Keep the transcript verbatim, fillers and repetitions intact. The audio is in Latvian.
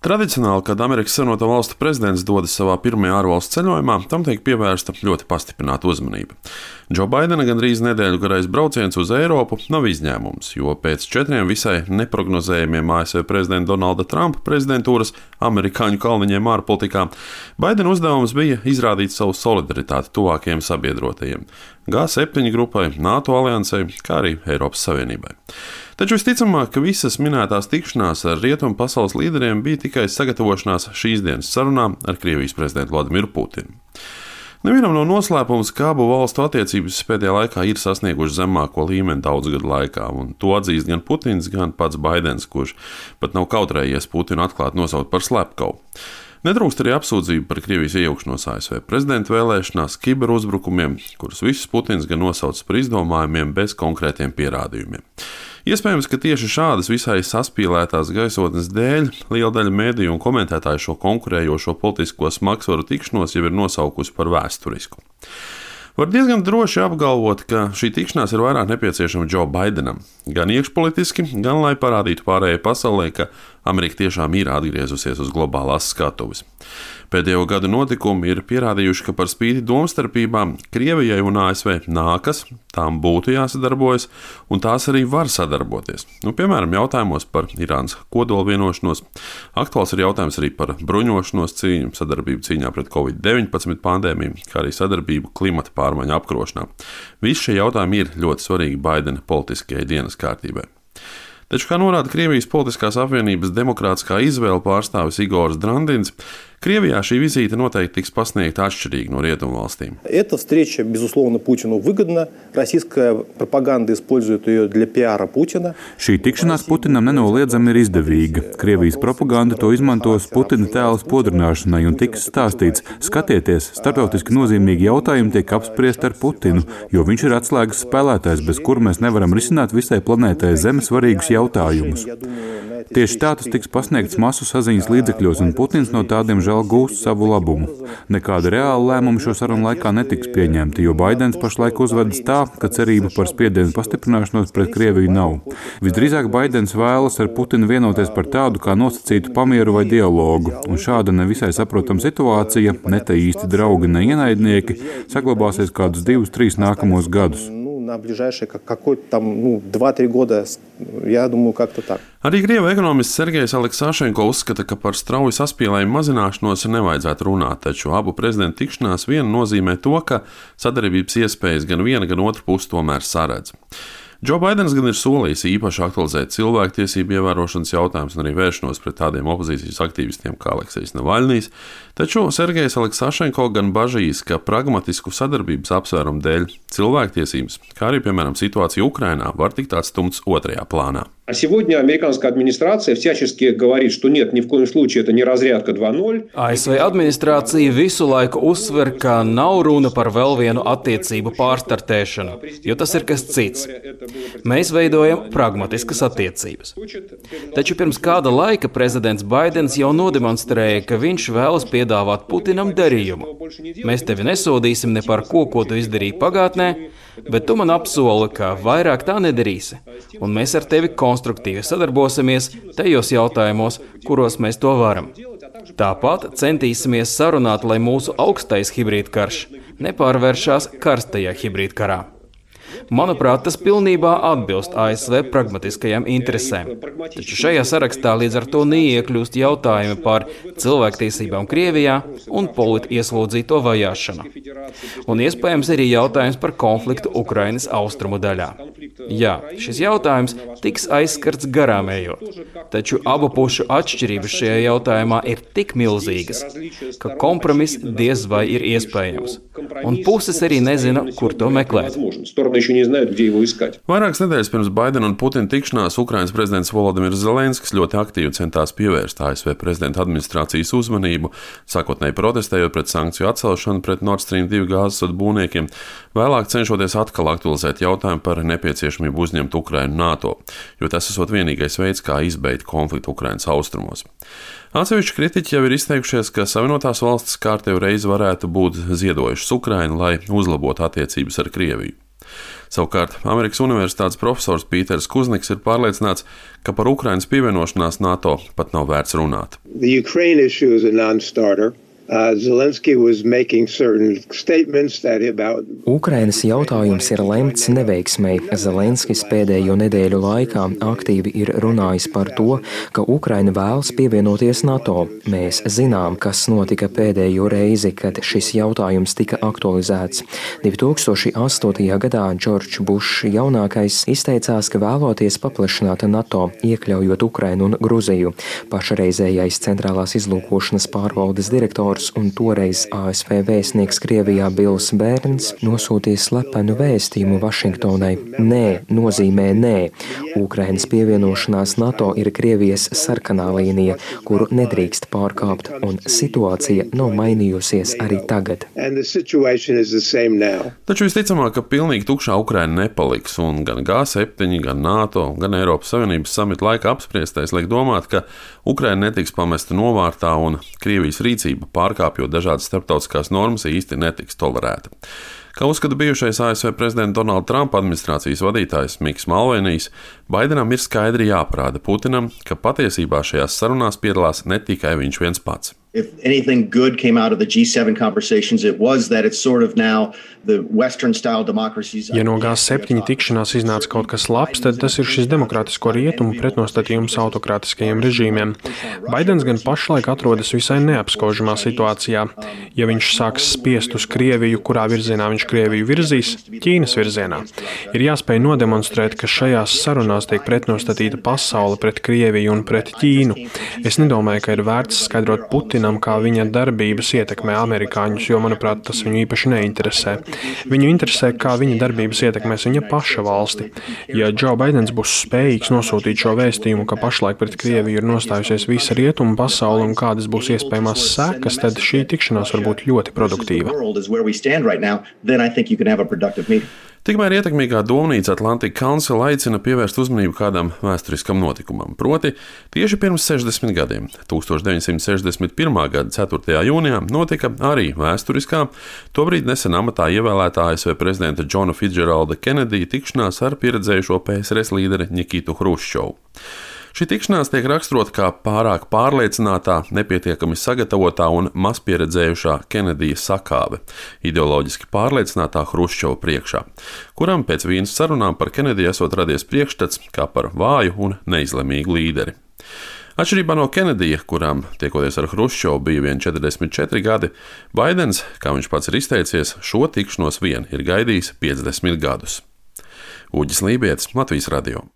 Tradicionāli, kad Amerikas Savienoto Valstu prezidents dodas savā pirmajā ārvalstu ceļojumā, tam tiek pievērsta ļoti pastiprināta uzmanība. Džo Baidena gandrīz nedēļu garais brauciens uz Eiropu nav izņēmums, jo pēc četriem visai neprognozējumiem A S V prezidenta Donalda Trumpa prezidentūras amerikāņu kalniņiem ārpolitikā, Baidena uzdevums bija izrādīt savu solidaritāti tuvākajiem sabiedrotajiem - G septiņi grupai, NATO aliansei, kā arī Eiropas Savienībai. Taču visticamāk, ka visas minētās tikšanās ar rietumu pasaules līderiem bija tikai sagatavošanās šīs dienas sarunām ar Krievijas prezidentu Vladimiru Putinu. Nevienam nav noslēpums, ka abu valstu attiecības pēdējā laikā ir sasniegušas zemāko līmeni daudzu gadu laikā, un to atzīst gan Putins, gan pats Baidens, kurš pat nav kautrējies Putinu atklāti nosaukt par slepkavu. Netrūkst arī apsūdzību par Krievijas iejaukšanos A S V prezidenta vēlēšanās, kiberuzbrukumiem, kurus visus Putins gan nosauc par izdomājumiem bez konkrētiem pierādījumiem. Iespējams, ka tieši šādas visai saspīlētās gaisotnes dēļ liela daļa mēdīju un komentētāju šo konkurējošo politisko smagsvaru tikšanos jau ir nosaukusi par vēsturisku. Var diezgan droši apgalvot, ka šī tikšanās ir vairāk nepieciešama Džo Baidenam, gan iekšpolitiski, gan lai parādītu pārējai pasaulē, ka Amerika tiešām ir atgriezusies uz globālās skatuves. Pēdējo gadu notikumi ir pierādījuši, ka par spīti domstarpībām Krievijai un A S V nākas, tām būtu jāsadarbojas, un tās arī var sadarboties. Nu, piemēram, jautājumos par Irānas kodola vienošanos, aktuāls ir jautājums arī par bruņošanos cīņu, sadarbību cīņā pret covid deviņpadsmit pandēmiju, kā arī sadarbību klimata pārmaiņu apkarošanā. Visi šie jautājumi ir ļoti svarīgi Baidena politiskajai dienas kārtībai. Taču, kā norāda Krievijas politiskās apvienības demokrātiskā izvēle pārstāvis Igoris Drandins, Krievijā šī vizīte noteikti tiks pasniegta atšķirīgi no rietumvalstīm. Эта встреча, безусловно, Путину выгодна. Российская пропаганда использует ее для пиара Путина. Šī tikšanās Putinam nenoliedzami ir izdevīga. Krievijas propaganda to izmantos Putina tēla spodrināšanai un tiks stāstīts: skatieties, starptautiski nozīmīgi jautājumi tiek apspriesti ar Putinu, jo viņš ir atslēgas spēlētājs, bez kura mēs nevaram risināt visai planētai Zeme svarīgus jautājumus. Tieši tā tas tiks pasniegts masu saziņas līdzekļos, un Putins no tādiem žēl gūst savu labumu. Nekāda reāla lēmuma šo sarunu laikā netiks pieņemta, jo Baidens pašlaik uzvedas tā, ka cerība par spiedienu pastiprināšanos pret Krieviju nav. Visdrīzāk Baidens vēlas ar Putinu vienoties par tādu kā nosacītu pamieru vai dialogu, un šāda nevisai saprotama situācija, ne te īsti draugi, ne ienaidnieki, saglabāsies kādus divus, trīs nākamos gadus. На ближайшие какой-то там, ну, два-три года, я думаю, как-то так. Arī Krievu ekonomists Sergejs Aleksašenko uzskata, ka par strauju saspīlējumu mazināšanos nevajadzētu runāt, taču abu prezidentu tikšanās vien nozīmē to, ka sadarbības iespējas gan viena, gan otra puse tomēr saredz. Džo Baidens gan ir solījis īpaši aktualizēt cilvēktiesību ievērošanas jautājumus un arī vēršanos pret tādiem opozīcijas aktīvistiem kā Aleksejs Navaļnijs, taču Sergejs Aleksašenko gan bažīs, ka pragmatisku sadarbības apsvērumu dēļ cilvēktiesības, kā arī, piemēram, situācija Ukrainā, var tikt atstumts otrajā plānā. А сегодня американская администрация всячески говорит, что нет, ни в коем случае это не разрядка два ноль. A S V administrācija visu laiku uzsver, ka nav runa par vēl vienu attiecību pārstartēšanu, jo tas ir kas cits. Mēs veidojam pragmatiskas attiecības. Taču pirms kāda laika prezidents Baidens jau nodemonstrēja, ka viņš vēlas piedāvāt Putinam darījumu. Mēs tevi nesodīsim ne par ko, ko tu izdarīji pagātnē, bet tu man apsoli, ka vairāk tā nedarīsi, un mēs ar tevi konstruktīvi sadarbosimies tajos jautājumos, kuros mēs to varam. Tāpat centīsimies sarunāt, lai mūsu augstais hibrīdkarš nepārvēršās karstajā hibrīdkarā. Manuprāt, tas pilnībā atbilst A S V pragmatiskajām interesēm. Taču šajā sarakstā līdz ar to neiekļūst jautājumi par cilvēktiesībām Krievijā un politieslodzīto vajāšanu. Un iespējams arī jautājums par konfliktu Ukrainas austrumu daļā. Jā, šis jautājums tiks aizskarts garām ejot, taču abu pušu atšķirības šajā jautājumā ir tik milzīgas, ka kompromiss diez vai ir iespējams. Un puses arī nezina, kur to meklēt. Vairākas nedēļas pirms Baidena un Putina tikšanās Ukrainas prezidents Volodimirs Zelenskis ļoti aktīvi centās pievērst A S V prezidenta administrācijas uzmanību, sākotnēji protestējot pret sankciju atcelšanu pret Nord Stream divi gāzes vadu būvniekiem, vēlāk cenšoties atkal aktualizēt jautājumu par nepieciešamību uzņemt Ukrainu NATO, jo tas esot vienīgais veids, kā izbeigt konfliktu Ukrainas austrumos. Atsevišķi kritiķi jau ir izteikušies, ka Savienotās valstis kārtējo reizi varētu būt ziedojušas Ukrainu, lai uzlabotu attiecības ar Krieviju. Savukārt Amerikas Universitātes profesors Pīters Kuzniks ir pārliecināts, ka par Ukrainas pievienošanās NATO pat nav vērts runāt. The Ukraine issue is a non-starter. Uh, Zelensky was making certain statements that about Ukrainas jautājums ir lemts neveiksmei. Zelenskis pēdējo nedēļu laikā aktīvi ir runājis par to, ka Ukraina vēlas pievienoties NATO. Mēs zinām, kas notika pēdējo reizi, kad šis jautājums tika aktualizēts. divi tūkstoši astotajā gadā Džordžs Bušs jaunākais izteicās, ka vēloties paplašināt NATO, iekļaujot Ukrainu un Gruziju. Pašreizējais centrālās izlūkošanas pārvaldes direktors un toreiz A S V vēstnieks Krievijā Bils Bērns nosūtīja slepenu vēstījumu Vašingtonai. Nē, nozīmē nē. Ukrainas pievienošanās NATO ir Krievijas sarkanā līnija, kuru nedrīkst pārkāpt, un situācija nav mainījusies arī tagad. Taču visticamāk, ka pilnīgi tukšā Ukraina nepaliks, un gan G septiņi, gan NATO, gan Eiropas Savienības samita laika apspriestais liek domāt, ka Ukraina netiks pamesta novārtā un Krievijas rīcība pārkāpjot dažādas starptautiskās normas īsti netiks tolerēta. Kā uzskata bijušais A S V prezidenta Donalda Trumpa administrācijas vadītājs Miks Malvenijs, Baidenam ir skaidri jāparāda Putinam, ka patiesībā šajās sarunās piedalās ne tikai viņš viens pats. If anything good came out of the G seven conversations, it was that it's sort of now the Western-style democracies. Ja no G septiņi tikšanās iznāca kaut kas labs, tad tas ir šis demokrātisko rietumu pretnostatījums autokrātiskajiem režīmiem. Baidens gan pašlaik atrodas visai neapskaužamā situācijā. Ja viņš sāks spiest uz Krieviju, kurā virzienā viņš Krieviju virzīs, Ķīnas virzienā, ir jāspēj nodemonstrēt, ka šajās sarunās tiek pretnostatīta pasaule pret Krieviju un pret Ķīnu. Es nedomāju, ka ir vērts skaidrot Putinam, kā viņa darbības ietekmē amerikāņus, jo, manuprāt, tas viņu īpaši neinteresē. Viņu interesē, kā viņa darbības ietekmēs viņa paša valsti. Ja Džo Baidens būs spējīgs nosūtīt šo vēstījumu, ka pašlaik pret Krieviju ir nostājusies visa rietumu pasaule un kādas būs iespējamās sekas, tad šī tikšanās var būt ļoti produktīva. Tikmēr ietekmīgā domnīca Atlantic Council aicina pievērst uzmanību kādam vēsturiskam notikumam. Proti, tieši pirms sešdesmit gadiem, tūkstoš deviņsimt sešdesmit pirmā gada ceturtajā jūnijā, notika arī vēsturiskā, tobrīd nesen amatā ievēlētā A S V prezidenta Džona Fitzgeralda Kenedija tikšanās ar pieredzējušo P S R S līderi Nikitu Hruščovu. Šī tikšanās tiek raksturota kā pārāk pārliecinātā, nepietiekami sagatavotā un mazpieredzējušā Kenedija sakāve, ideoloģiski pārliecinātā Hruščova priekšā, kuram pēc vienas sarunām par Kenediju esot radies priekšstats kā par vāju un neizlemīgu līderi. Atšķirībā no Kenedija, kuram tiekoties ar Hruščovu bija vien četrdesmit četri gadi, Baidens, kā viņš pats ir izteicies, šo tikšanos vien ir gaidījis piecdesmit gadus. Uģis Lībietis, Latvijas radio.